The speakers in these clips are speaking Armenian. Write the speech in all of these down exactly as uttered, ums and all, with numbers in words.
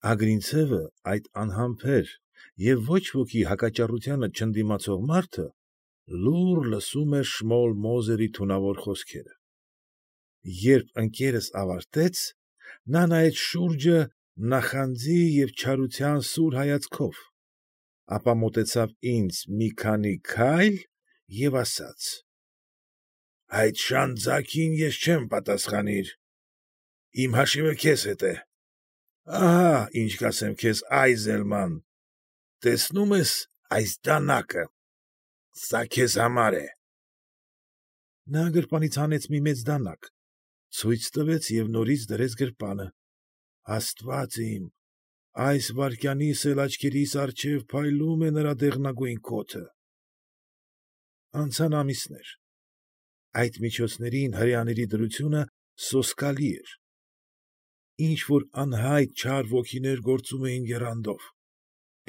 Ագրինցևը, այդ անհամբեր և ոչ ոքի հակաճառությանը չընդդիմացող մարդը, լուռ լսում էր Շմուլ Մոզերի թունավոր խոսքերը։ Երբ ընկերս ավարտեց, նա նայեց շուրջը նախանձի և չարության սուր հայացքով, ապա մոտեցավ ինձ մի քանի քայլ և ասաց. ֊ Այդ շան ձագին ես չեմ պատասխանիլ, իմ հաշիվը քեզ հետ է, ահա՛ ինչ կասեմ քեզ, Այզելման, տեսնո՞ւմ ես այս դանակը, սա քեզ համար է… Նա գրպանից հանեց մի մեծ դանակ, ցույց տվեց և նորից դրեց գրպանը… աստված իմ, այս վայրկյանիս էլ աչքերիս առջև փայլում է նրա դեղնագույն կոթը… Անցան ամիսներ… Այդ միջոցներին հրեաների դրությունը սոսկալի էր… Ինչ֊որ անհայտ չար ոգիներ գործում էին եռանդով…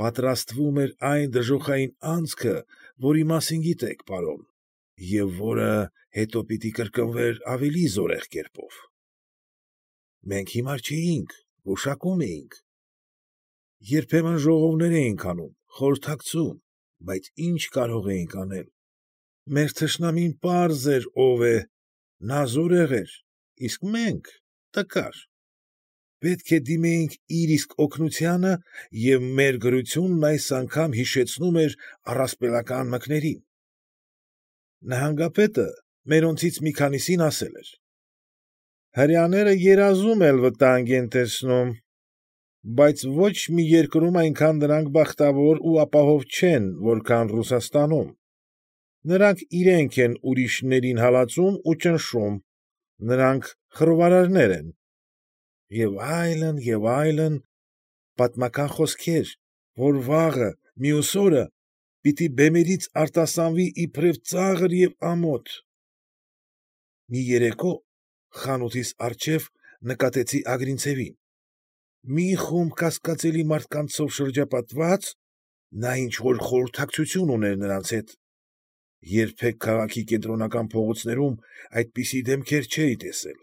Պատրաստվում էր այն դժոխային անցքը, որի մասին գիտեք, պարոն, և որը հետո պիտի կրկնվեր ավելի զորեղ կերպով… Մենք հիմար չէինք, գուշակում էինք… Երբեմն ժողովներ էինք անում, խորհրդակցում, բայց ի՞նչ կարող էինք անել… Մեր թշնամին պարզ էր ով է, նա զորեղ էր, իսկ մենք՝ տկար… Պետք է դիմեինք իր իսկ օգնությանը և մեր գրությունն այս անգամ հիշեցնում էր առասպելական մկներին… Նահանգապետը մերոնցից մի քանիսին ասել էր. ֊ Հրեաները երազում էլ վտանգ են տեսնում, բայց ոչ մի երկրում այնքան նրանք բախտավոր ու ապահով չեն, որքան Ռուսաստանում… Նրանք իրենք են ուրիշներին հալածում ու ճնշում, նրանք խռովարարներ են… Եվ այլն, և այլն… պատմական խոսքեր, որ վաղը, մյուս օրը պիտի բեմերից արտասանվի իբրև ծաղր և ամոթ… Մի երեկո խանութիս առջև նկատեցի Ագրինցևին… Մի խումբ կասկածելի մարդկանցով շրջապատված, նա ինչ֊որ խորհրդակցություն ուներ նրանց հետ… Երբեք քաղաքի կենտրոնական փողոցներում այդպիսի դեմքեր չէի տեսել…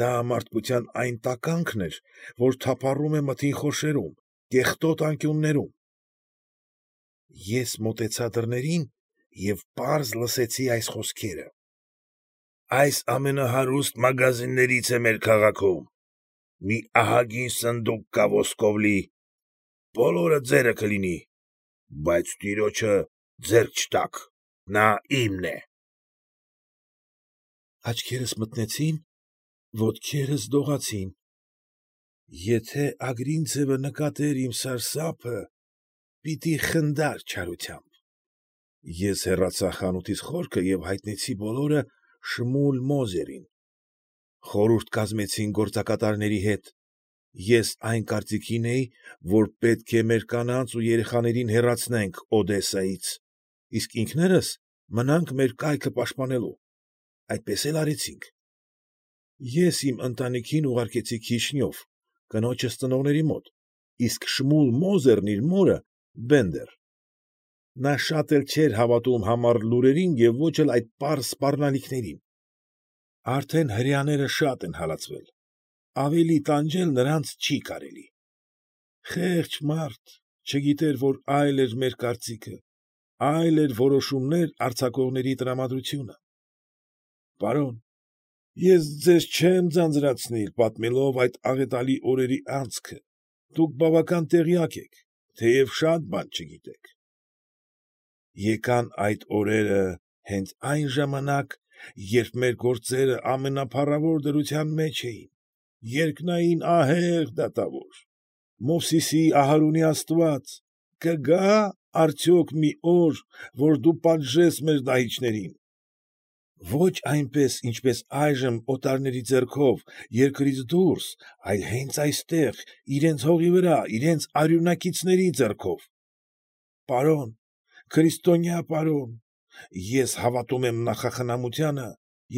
Դա մարդկության այն տականքն էր, որ թափառում է մթին խորշերում, կեղտոտ անկյուններում… Ես մոտեցա դռներին և պարզ լսեցի այս խոսքերը. ֊ Այս ամենահարուստ մագազիններից է մեր քաղաքում… Մի ահագին սնդուկ կա ոսկով լի… Բոլորը ձերը կլինի… Բայց տիրոջը ձեռք չտաք… նա իմն է… Աչքերս մթնեցին, ոտքերս դողացին… Եթե Ագրինցևը նկատեր իմ սարսափը, պիտի խնդար չարությամբ… Ես հեռացա խանութիս խորքը և հայտնեցի բոլորը Շմուլ Մոզերին… Խորհուրդ կազմեցինք գործակատարների հետ… Ես այն կարծիքին էի, որ պետք է մեր կանանց ու երեխաներին հեռացնենք Օդեսայից, իսկ ինքներս մնանք մեր կայքը պաշտպանելու… Այդպես էլ արինք… Ես իմ ընտանիքին ուղարկեցի Քիշնև, կնոջս ծնողների մոտ, իսկ Շմուլ Մոզերն իր մորը՝ Բենդեր… Նա շատ էլ չէր հավատում համառ լուրերին և ոչ էլ այդ պարզ սպառնալիքներին… Արդեն հրեաները շատ են հալածվել, ավելի տանջել նրանց չի կարելի… Խեղճ մարդ, չգիտեր, որ այլ էր մեր կարծիքը, այլ էր որոշումներ արձակողների տրամադրությունը… Պարոն, ես ձեզ չեմ ձանձրացնիլ, պատմելով այդ աղետալի օրերի անցքը, դուք բավական տեղյակ եք, թեև շատ բան չգիտեք… Եկան այդ օրերը հենց այն ժամանակ, երբ մեր գործերը ամենափառավոր դրության մեջ էին, երկնային ահեղ դատավոր… Մովսեսի, Ահարոնի աստված… կգա՞ արդյոք մի օր, որ դու պատժես մեր դահիճներին… Ոչ այնպես, ինչպես այժմ օտարների ձեռքով, երկրից դուրս, այլ հենց այստեղ, իրենց հողի վրա, իրենց արյունակիցների ձեռքով… Պարոն, քրիստոնյա պարոն, ես հավատում եմ նախախնամությանը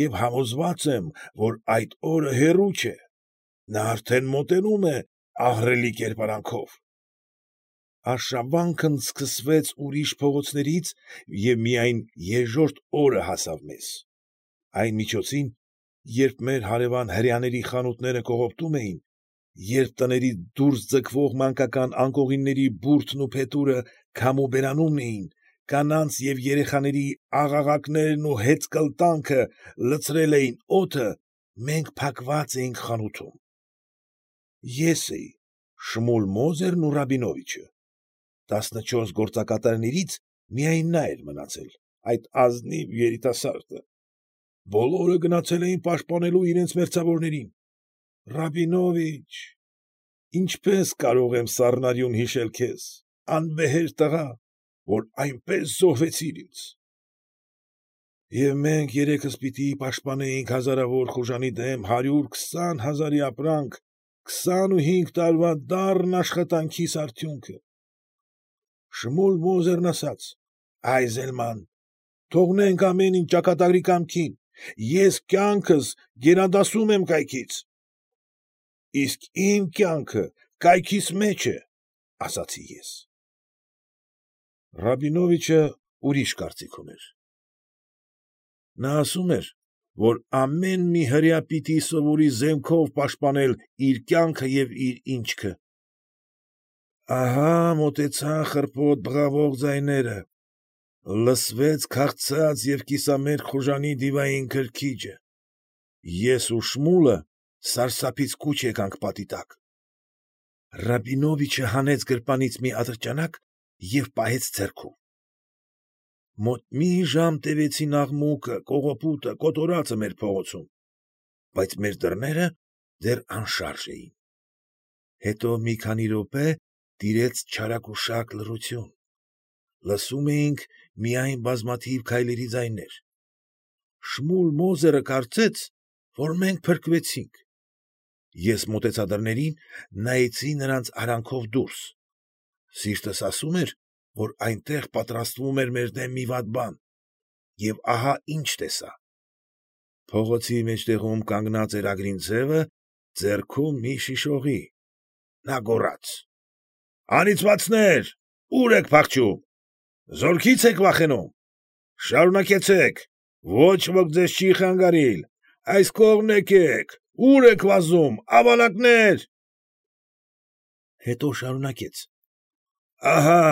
և համոզված եմ, որ այդ օրը հեռու չէ… Նա արդեն մոտենում է ահռելի կերպարանքով… Արշավանքն սկսվեց ուրիշ փողոցներից և միայն երկրորդ օրը հասավ մեզ… Այն միջոցին, երբ մեր հարևան հրեաների խանութները կողոպտում էին, երբ տներից դուրս ձգվող մանկական անկողինների բուրդն ու փետուրը քամու բերանումն էին, կանանց և երեխաների աղաղակներն ու հեծկլտանքը լցրել էին օդը, մենք փակված էինք խանութում։ Ես էի, Շմուլ Մոզերն ու Ռաբինովիչը, տասնչորս գործակատարներից միայն նա էր մնացել, այդ ազնիվ երիտասարդը, բոլորը գնացել էին պաշտպանելու իրենց մերձավորներին։ Ռաբինովիչ, ինչպես կարող եմ սառնարյուն հիշել քեզ, անվեհեր տղա, որ այնպես զոհվեցիր ինձ։ Եվ մենք երեքս պիտի պաշտպանեինք հազարավոր խուժանի դեմ հարյուր քսան հազարի ապրանք, քսանուհինգ տարվա դառն աշխատանքիս արդյունքը։ Շմուլ Մոզերն ասաց. «Այզելման, թողնենք ամեն ինչ ճակատագրի կամքին, ես կյանքս գերադասում եմ կայքից»։ Իսկ իմ կյանքը կայքիս մեջ է, ասացի ես։ Ռաբինովիչը ուրիշ կարծիք ուներ։ Նա ասում էր, որ ամեն մի հրեա պիտի սովորի զենքով պաշտպանել իր կյանքը և իր ինչքը։ Ահա մոտեցան խռպոտ բղավող ձայները, լսվեց քաղցած և կիսամերկ խուժանի դիվային քրքիջը, ես ու Շմուլը սարսափից կուչ եկանք պատի տակ։ Ռաբինովիչը հանեց գրպանից մի ատրճանակ և պահեց ձեռքում։ Մոտ մի ժամ տևեցին աղմուկը, կողոպուտը, կոտորածը մեր փողոցում, բայց մեր դռները դեռ անշարժ էին։ Հետո մի քանի րոպե տիրեց չարագուշակ լռություն, լսում էինք միայն բազմաթիվ քայլերի ձայներ։ Շմուլ Մոզերը կարծեց, որ մենք փրկվեցինք։ Ես մոտեցա դռներին, նայեցի նրանց արանքով դուրս։ Սիրտս ասում էր, որ այնտեղ պատրաստվում էր մեր դեմ մի վատ բան, և ահա ինչ տեսա. փողոցի մեջտեղում կանգնած էր Ագրինցևը, ձեռքում մի շիշ օղի։ Նա գոռաց. «Անիծվածնե՛ր, ո՞ւր եք փախչում, զորքի՞ց եք վախենում, շարունակեցեք, ոչ ոք ձեզ չի խանգարիլ, այս կողմն եկեք, ո՞ւր եք վազում, ավանակնե՛ր»։ Հետո շարունակեց. «Ահա,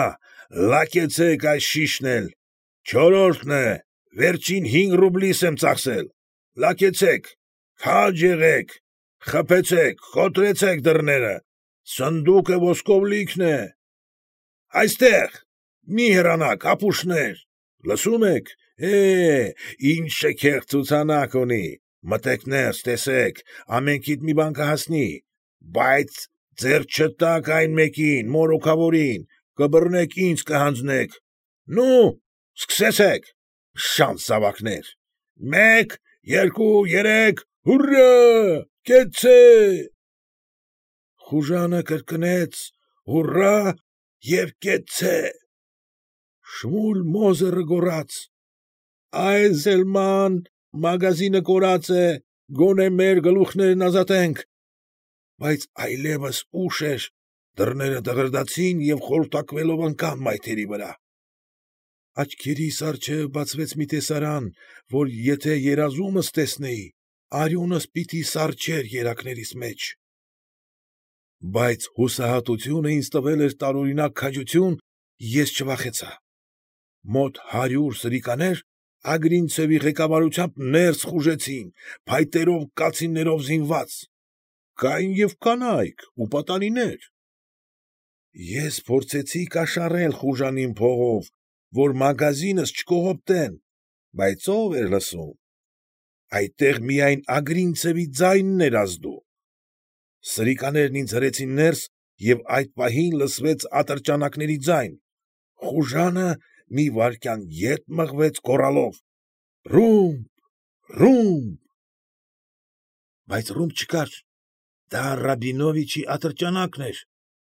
լակեցեք այս շիշն էլ, չորրորդն է, վերջին հինգ ռուբլիս եմ ծախսել, լակեցեք, քաջ եղեք, խփեցեք, կոտրեցեք դռները, սնդուկը ոսկով լիքն է։ Այստեղ, մի հեռանաք, ապուշներ, լսում եք, է, ինչ շքեղ ցուցանակ ունի, մտեք ներս, տեսեք, ամենքիդ մի բան կհասնի, բայց ձեռք չտաք այն մեկին, մորուքավորին, կբռնեք ինձ կհանձնեք, նո՛ւ, սկսեցեք, շանս զավակներ, մեկ, երկու, երեք, հուռա, կեցցե՛։ Խուժանը կրկնեց հուռա և կեցցե։ Շմուլ Մոզերը գոռաց. «Այզելման, մագազինը կորած է, գոնե մեր գլուխներն ազատենք»։ Բայց այլևս ուշ էր, դռները դղրդացին և խորտակվելով ընկան մայթերի վրա։ Աչքերիս առջև բացվեց մի տեսարան, որ եթե երազումս տեսնեի, արյունս պիտի սառչեր երակներիս մեջ։ Բայց հուսահատությունը ինձ տվել էր տարօրինակ քաջություն, ես չվախեցա։ Մոտ հարյուր սրիկաներ Ագրինցևի ղեկավարությամբ ներս խուժեցին, փայտերով, կացիններով զինված, կային և կանայք ու պատանիներ։ Ես փորձեցի կաշառել խուժանին փողով, որ մագազինս չկողոպտեն, բայց ո՞վ էր լսում։ Այդտեղ միայն Ագրինցևի ձայնն էր ազդու։ Սրիկաներն ինձ հրեցին ներս, և այդ պահին լսվեց ատրճանակների ձայն, խուժանը մի վայրկյան ետ մղվեց գոռալով. «Ռումբ, ռումբ»։ Բայց ռումբ չկար, դա Ռաբինովիչի ատրճանակն էր,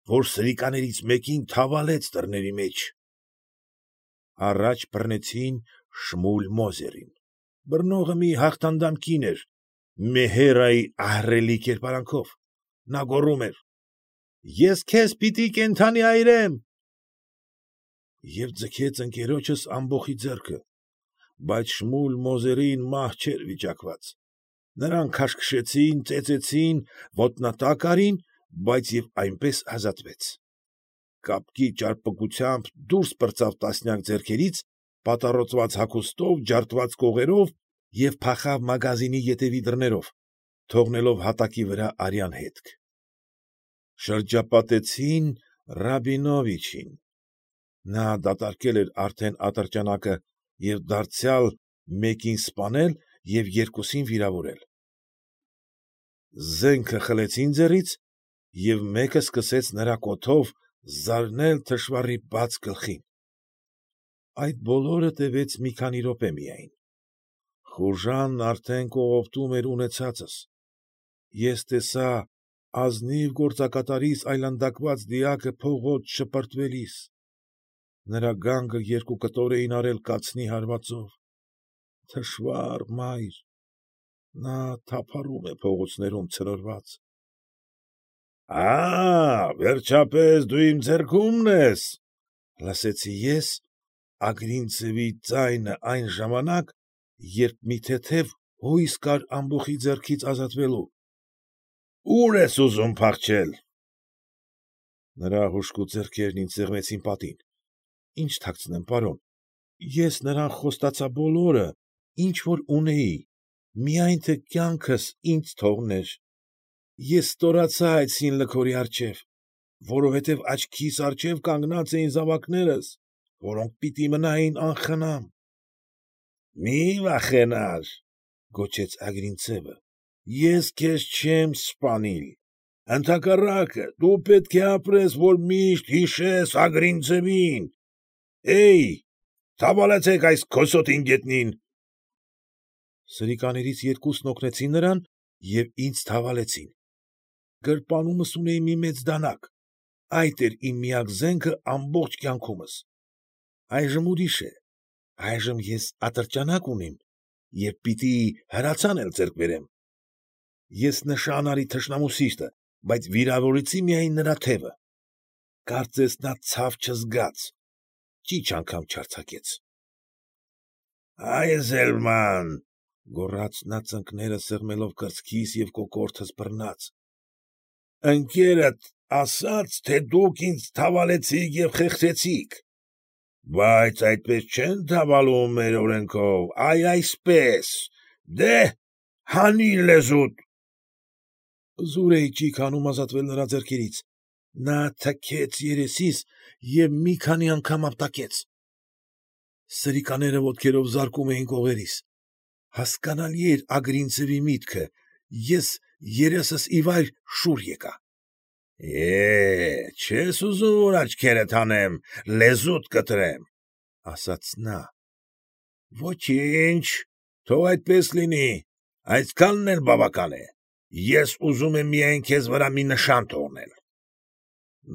որ սրիկաներից մեկին թավալեց դռների մեջ։ Առաջ բռնեցին Շմուլ Մոզերին, բռնողը մի հաղթանդամ կին էր, Մեհերայի ահռելի կերպարանքով, նա գոռում էր. «Ես քեզ պիտի կենդանի այրեմ»։ Եվ ձգեց ընկերոջս ամբոխի ձեռքը, բայց Շմուլ Մոզերին մահ չէր վիճակված, նրան քաշքշեցին, ծեծեցին, ոտնատակ արին, բայց և այնպես ազատվեց։ Կապկի ճարպկությամբ դուրս պրծավ տասնյակ ձեռքերից, պատառոտված հագուստով, ջարդված կողերով և փախավ մագազինի ետևի դռներով, թողնելով հատակի վրա արյան հետք։ Շրջապատեցին Ռաբինովիչին։ Նա դատարկել էր արդեն ատրճանակը և դարձյալ մեկին սպանել և երկուսին վիրավորել։ Զենքը խլեցին ձեռքից, և մեկը սկսեց նրա կոթով զարնել թշվառի բաց գլխին։ Այդ բոլորը տևեց մի քանի րոպե միայն։ Խուժանն արդեն կողոպտում էր ունեցածս։ Ես տեսա ազնիվ գործակատարիս այլանդակված դիակը փողոց շպրտվելիս։ Նրա գանգը երկու կտոր էին արել կացնի հարվածով։ Թշվա՜ռ մայր, նա թափառում է փողոցներում ցնորված։ ֊ Ա՜, վերջապես դու իմ ձեռքումն ես,֊ լսեցի ես Ագրինցևի ձայնը այն ժամանակ, երբ մի թեթև հույս կար ամբոխի ձեռքից ազատվելու։ ֊ Ո՞ւր ես ուզում փախչել։ Նրա հուժկու ձեռքերն ինձ սեղմեցին պատին։ ֊ Ի՞նչ թաքցնեմ, պարոն, ես նրան խոստացա բոլորը, ինչ որ ունեի, միայն թե կյանքս ինձ թողներ։ Ես ստորացա այդ սին լքորի առջև, որովհետև աչքիս առջև կանգնած էին զավակներս, որոնք պիտի մնային անխնամ։ ֊ Մի վախենար,֊ գոչեց Ագրինցևը,֊ ես քեզ չեմ սպանիլ, ընդհակառակը, դու պետք է ապրես, որ միշտ հիշես Ագրինցևին։ Է՛յ, թավալեցեք այս քոսոտին գետնին։ Սրիկաներից երկուսն օգնեցին նրան և ինձ թավալեցին։ Գրպանումս ունեի մի մեծ դանակ, այդ էր իմ միակ զենքը ամբողջ կյանքումս։ Այժմ ուրիշ է, այժմ ես ատրճանակ ունիմ և պիտի հրացան էլ ձեռք բերեմ։ Ես նշան արի թշնամու սիրտը, բայց վիրավորեցի միայն նրա թևը։ Կարծես նա ցավ չզգաց, ճիչ անգամ չարձակեց։ ֊ Այզելման,֊ գոռաց նա ծնկները սեղմելով կրծքիս և կոկորդս բռնած,֊ ընկերդ ասաց, թե դուք ինձ թավալեցիք և խեղդեցիք, բայց այդպես չեն թավալում մեր օրենքով, այ այսպես, դե՛հ, հանիր լեզուդ։ Զուր էի ճիգ հանում ազատվել նրա ձեռքերից։ Նա թքեց երեսիս և մի քանի անգամ ապտակեց։ Սրիկաները ոտքերով զարկում էին կողերիս։ Հասկանալի էր Ագրինցևի միտքը, ես երեսս ի վայր շուռ եկա։ Է՜, չե՞ս ուզում, որ աչքերդ հանեմ, լեզուդ կտրեմ,֊ ասաց նա։ ֊ Ոչինչ, թող այդպես լինի, այսքանն էլ բավական է, ես ուզում եմ միայն քեզ վրա մի նշան թողնել։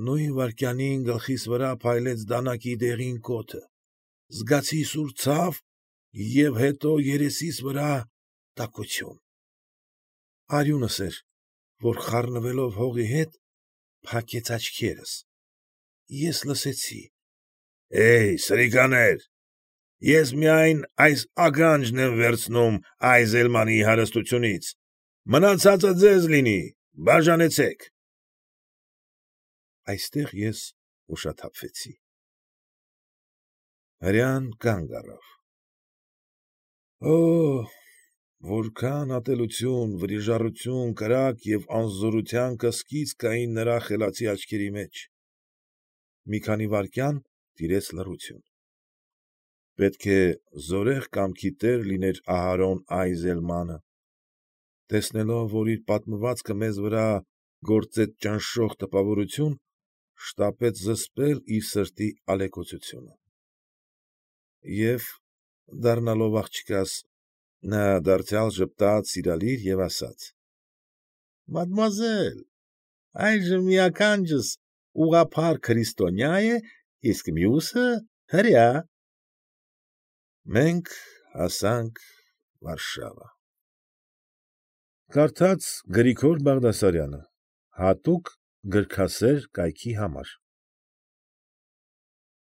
Նույն վայրկյանին գլխիս վրա փայլեց դանակի դեղին կոթը, զգացի սուր ցավ և հետո երեսիս վրա տաքություն։ Արյունս էր, որ խառնվելով հողի հետ, փակեց աչքերս։ Ես լսեցի. ֊ Է՛յ, սրիկաներ, ես միայն այս ականջն եմ վերցնում Այզելմանի հարստությունից, մնացածը ձեզ լինի, բաժանեցեք։ Այստեղ ես ուշաթափվեցի։ Հրեան կանգ առավ։ Օօ՜, որքան ատելություն, վրիժառություն, կրակ և անզորության կսկիծ կային նրա խելացի աչքերի մեջ։ Մի քանի վայրկյան տիրեց լռություն։ Պետք է զորեղ կամքի տեր լիներ Ահարոն Այզելմանը, տեսնելով, որ իր պատմվածքը մեզ վրա գործեց ճնշող տպավորություն, շտապեց զսպել իր սրտի ալեկոծությունը։ Եվ, դառնալով աղջկաս, նա դարձյալ ժպտաց սիրալիր և ասաց. ֊ Մադմուազել, այժմ մի ականջս ուղղափառ քրիստոնյա է, իսկ մյուսը հրեա։ Մենք հասանք Վարշավա։ Կարդաց Գրիգոր Բաղդասարյանը հատուկ գրքասեր կայքի համար։